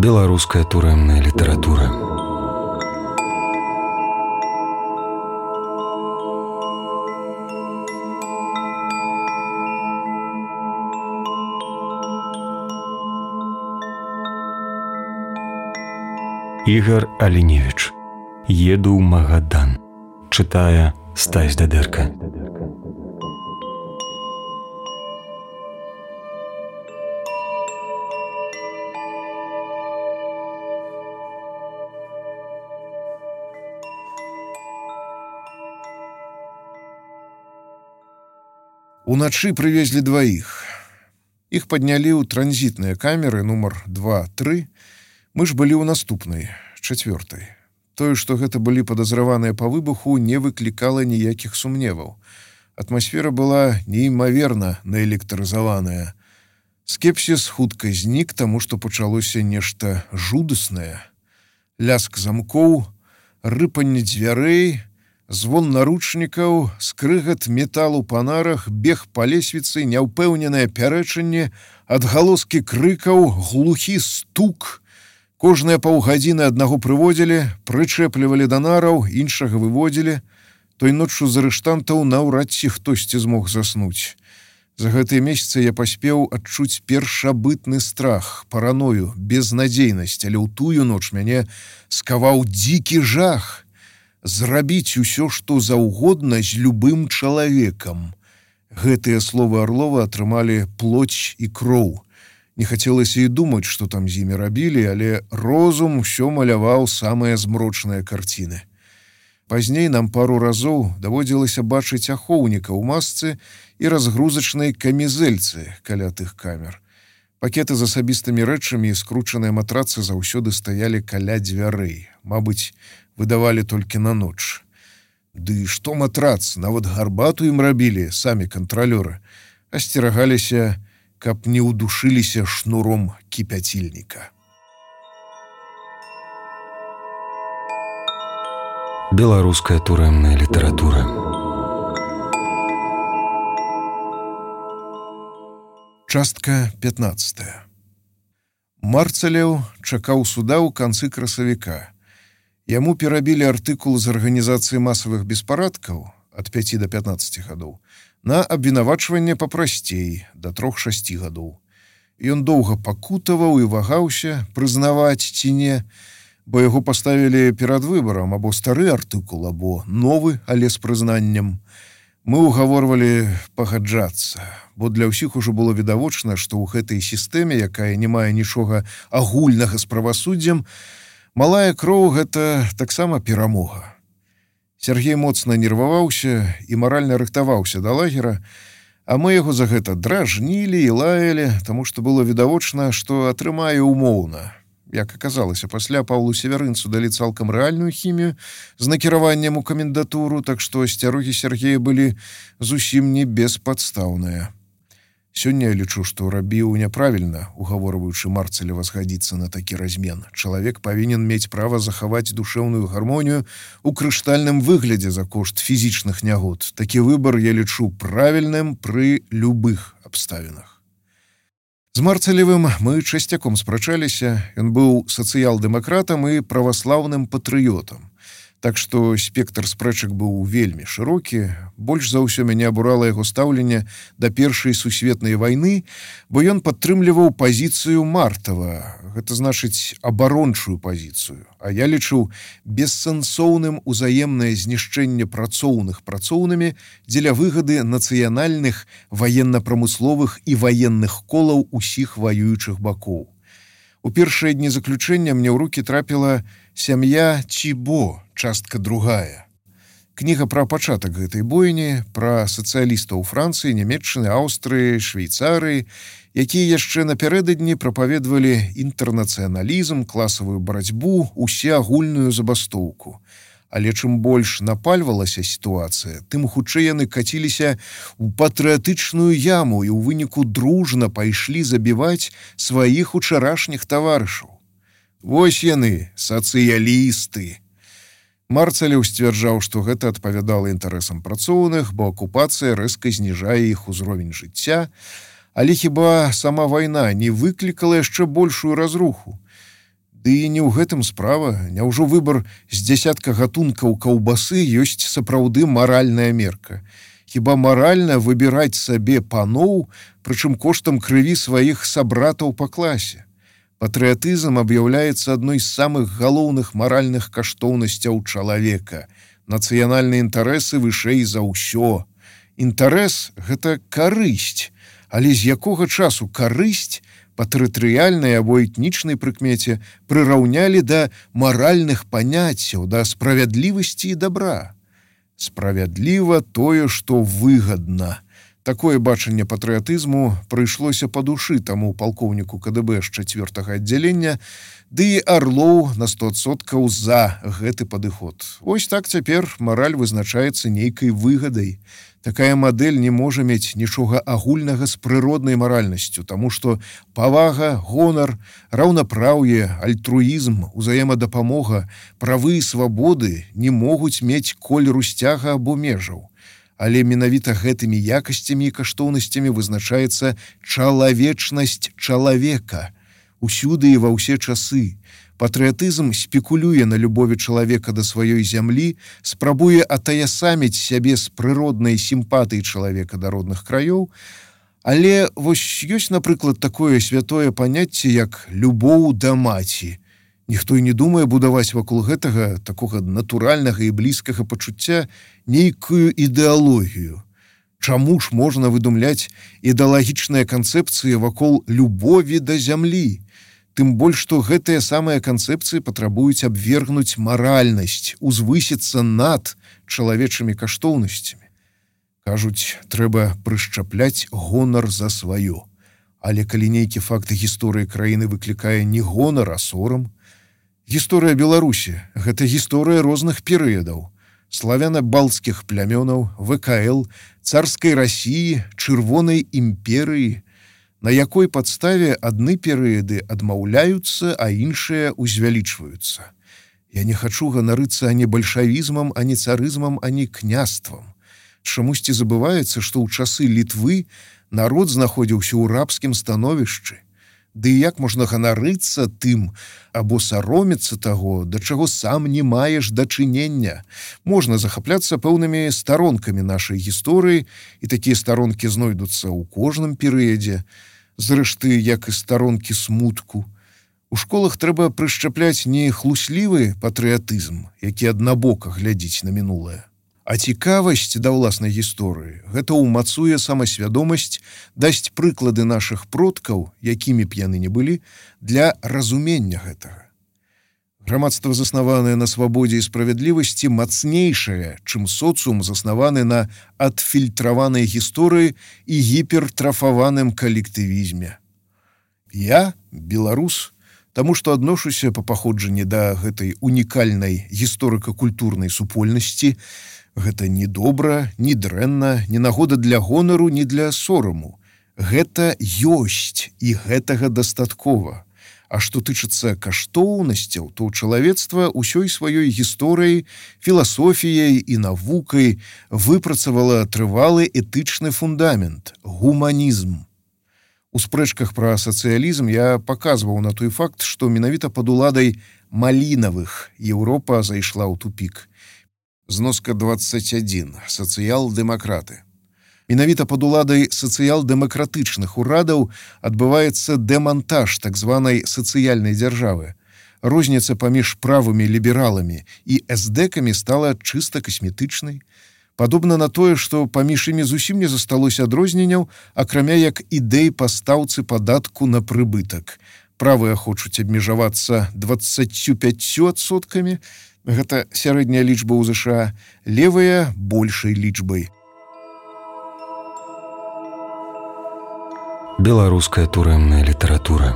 Беларуская турэмная літаратура. Ігар Аліневіч. Еду ў Магадан. Чытае Стась Дадэрка. Уначы прывезлі дваіх. Іх паднялі ў транзітныя камеры нумар 2-3. Мы ж былі ў наступнай, 4. Тое, што гэта былі падазраваныя па выбуху, не выклікала ніякіх сумневаў. Атмасфера была неймаверна наэлектрызаваная. Скепсіс хутка знік, таму што пачалося нешта жудаснае. Ляск замкоў, рыпанне дзвярэй, звон наручнікаў, скрыгат металу па нарах, бег па лесвіцы, няўпэўненае пярэчанне, адгалоскі крыкаў, глухі стук. Кожныя паўгадзіны аднаго прыводзілі, прычэплівалі да нараў, іншага выводзілі. Той ноччу з арыштантаў наўрад ці хтосьці змог заснуць. За гэтыя месяцы я паспеў адчуць першабытны страх, параною, безнадзейнасць, але ў тую ноч мяне скаваў дзікі жах. Зрабіць усё, што заўгодна з любым чалавекам. Гэтыя словы Арлова атрымалі плоть і кроў. Не хацелася і думаць, што там з імі рабілі, але розум усё маляваў самыя змрочныя карціны. Пазней нам пару разоў даводзілася бачыць ахоўніка ў масцы і разгрузачнай камізэльцы каля тых камер. Пакеты з асабістымі рэчамі і скручаныя матрацы заўсёды стаялі каля дзвярэй. Мабыць, выдавалі толькі на ноч. Ды што матрац, нават гарбату ім рабілі самі кантралёры. Асцерагаліся, каб не ўдушыліся шнуром кіпяцільніка. Беларуская турэмная літаратура. Частка 15. Марцалеў чакаў суда ў канцы красавіка. Яму перабілі артыкул з арганізацыі масавых беспарадкаў ад 5 до 15 гадоў на абвінавачванне папрасцей да 3-6 гадоў. Ён доўга пакутаваў і вагаўся, прызнаваць ці не, бо яго паставілі перад выбарам або стары артыкул, або новы, але з прызнаннем. Мы ўгаворвалі пагаджацца, бо для ўсіх ужо было відавочна, што ў гэтай сістэме, якая не мае нічога агульнага з правасуддзем, малая кроў — гэта таксама перамога. Сергей моцна нерваваўся і маральна рыхтаваўся да лагера, а мы яго за гэта дражнілі і лаялі, таму што было відавочна, што атрымае умоўна. Як аказалася, пасля Паўлу Севярынцу далі цалкам рэальную хімію з накіраваннем у камендатуру, так што асцярогі Сергея былі зусім не беспадстаўныя. Сёння я лічу, што рабіў няправільна, угаворваючы Марцалева згадзіцца на такі размен. Чалавек павінен мець права захаваць душэўную гармонію ў крыштальным выглядзе за кошт фізічных нягод. Такі выбар я лічу правільным пры любых абставінах. З Марцалевым мы часцяком спрачаліся. Ён быў сацыял-дэмакратам і праваслаўным патрыётам. Так што спектр спрэчак быў вельмі шырокі. Больш за ўсё мяне абурала яго стаўленне да Першай сусветнай вайны, бо ён падтрымліваў пазіцыю Мартава, гэта значыць абарончую пазіцыю. А я лічу бессэнсоўным узаемнае знішчэнне працоўных працоўнымі дзеля выгады нацыянальных, ваенна-прамысловых і ваенных колаў усіх ваюючых бакоў. У першыя дні заключэння мне ў рукі трапіла «Сям'я Цібо», частка 2. Кніга пра пачатак гэтай бойні, пра сацыялістаў Францыі, Нямецчыны, Аўстрыі, Швейцарыі, якія яшчэ напярэдадні прапаведвалі інтэрнацыяналізм, класавую барацьбу, усеагульную забастоўку. Але чым больш напальвалася сітуацыя, тым хутчэй яны каціліся ў патрыятычную яму і ў выніку дружна пайшлі забіваць сваіх учарашніх таварышаў. Вось яны, сацыялісты. Марцалеў сцвярджаў, што гэта адпавядала інтарэсам працоўных, бо акупацыя рэзка зніжае іх узровень жыцця, але хіба сама вайна не выклікала яшчэ большую разруху? Ды і не ў гэтым справа. Няўжо выбар з дзясятка гатункаў каўбасы ёсць сапраўды маральная мерка? Хіба маральна выбіраць сабе паноў, прычым коштам крыві сваіх сабратаў па класе? Патрыятызм аб'яўляецца адной з самых галоўных маральных каштоўнасцяў чалавека. Нацыянальныя інтарэсы вышэй за ўсё. Інтарэс – гэта карысць. Але з якога часу карысць па тэрытарыяльнай або этнічнай прыкмеце прыраўнялі да маральных паняццяў, да справядлівасці і дабра? Справядліва тое, што выгадна. Такое бачанне патрыятызму прыйшлося па душы таму палкоўніку КДБ з 4-го аддзялення, ды і Арлоў на 100% за гэты падыход. Вось так цяпер мараль вызначаецца нейкай выгадай. Такая мадэль не можа мець нічога агульнага з прыроднай маральнасцю, таму што павага, гонар, раўнапраўе, альтруізм, узаемадапамога, правы і свабоды не могуць мець колеру сцяга або межаў. Але менавіта гэтымі якасцямі і каштоўнасцямі вызначаецца чалавечнасць чалавека. Усюды і ва ўсе часы. Патрыятызм спекулюе на любові чалавека да сваёй зямлі, спрабуе атаясаміць сябе з прыроднай сімпатыі чалавека да родных краёў, але вось ёсць, напрыклад, такое святое паняцце, як любоў да маці. Ніхто і не думае будаваць вакол гэтага такога натуральнага і блізкага пачуцця нейкую ідэалогію. Чаму ж можна выдумляць ідэалагічныя канцэпцыі вакол любові да зямлі? Тым больш, што гэтыя самыя канцэпцыі патрабуюць абвергнуць маральнасць, узвысіцца над чалавечымі каштоўнасцямі. Кажуць, трэба прышчапляць гонар за сваё. Але калі нейкі факт гісторыі краіны выклікае не гонар, а сорам, гісторыя Беларусі – гэта гісторыя розных перыядаў. Славяна-балтскіх плямёнаў, ВКЛ, царскай Расіі, Чырвонай імперыі, на якой падставе адны перыяды адмаўляюцца, а іншыя узвялічваюцца. Я не хачу ганарыцца ані бальшавізмам, ані царызмам, ані княствам. Чамусьці забываецца, што ў часы Літвы народ знаходзіўся ў рабскім становішчы. Ды як можна ганарыцца тым або саромецца таго, да чаго сам не маеш дачынення? Можна захапляцца пэўнымі старонкамі нашай гісторыі, і такія старонкі знойдуцца ў кожным перыядзе, зрэшты, як і старонкі смутку. У школах трэба прышчапляць не хлуслівы патрыятызм, які аднабока глядзіць на мінулае, а цікавасць да ўласнай гісторыі. Гэта ўмацуе самасвядомасць, дасць прыклады нашых продкаў, якімі б яны не былі, для разумення гэтага. Грамадства, заснаванае на свабодзе і справядлівасці, мацнейшае, чым соцыум, заснаваны на адфільтраванай гісторыі і гіпертрафаваным калектывізме. Я беларус, таму што адношуся па паходжанні да гэтай унікальнай гісторыка-культурнай супольнасці. Гэта не добра, не дрэнна, не нагода для гонару, не для сораму. Гэта ёсць, і гэтага дастаткова. А што тычыцца каштоўнасцяў, то чалавецтва ўсёй сваёй гісторыяй, філасофіяй і навукай выпрацавала трывалы этычны фундамент – гуманізм. У спрэчках пра сацыялізм я паказваў на той факт, што менавіта пад уладай Малінавых Еўропа зайшла ў тупік. Зноска 21. Сацыял-дэмакраты. Менавіта пад уладай сацыял-дэмакратычных урадаў адбываецца дэмантаж так званай сацыяльнай дзяржавы. Розніца паміж правымі лібераламі і эсдэкамі стала чыста касметычнай. Падобна на тое, што паміж імі зусім не засталося адрозненняў, акрамя як ідэй па стаўцы падатку на прыбытак. Правыя хочуць абмежавацца 25%, гэта сярэдняя лічба ў ЗША, левыя – большай лічбай. Беларуская турэмная літаратура.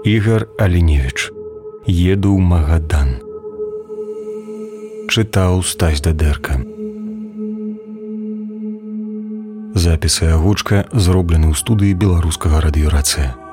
Ігар Аліневіч. Еду ў Магадан. Чытаў Стась Дадэрка. Запісы агучка зроблены ў студыі Беларускага радыёрацыя.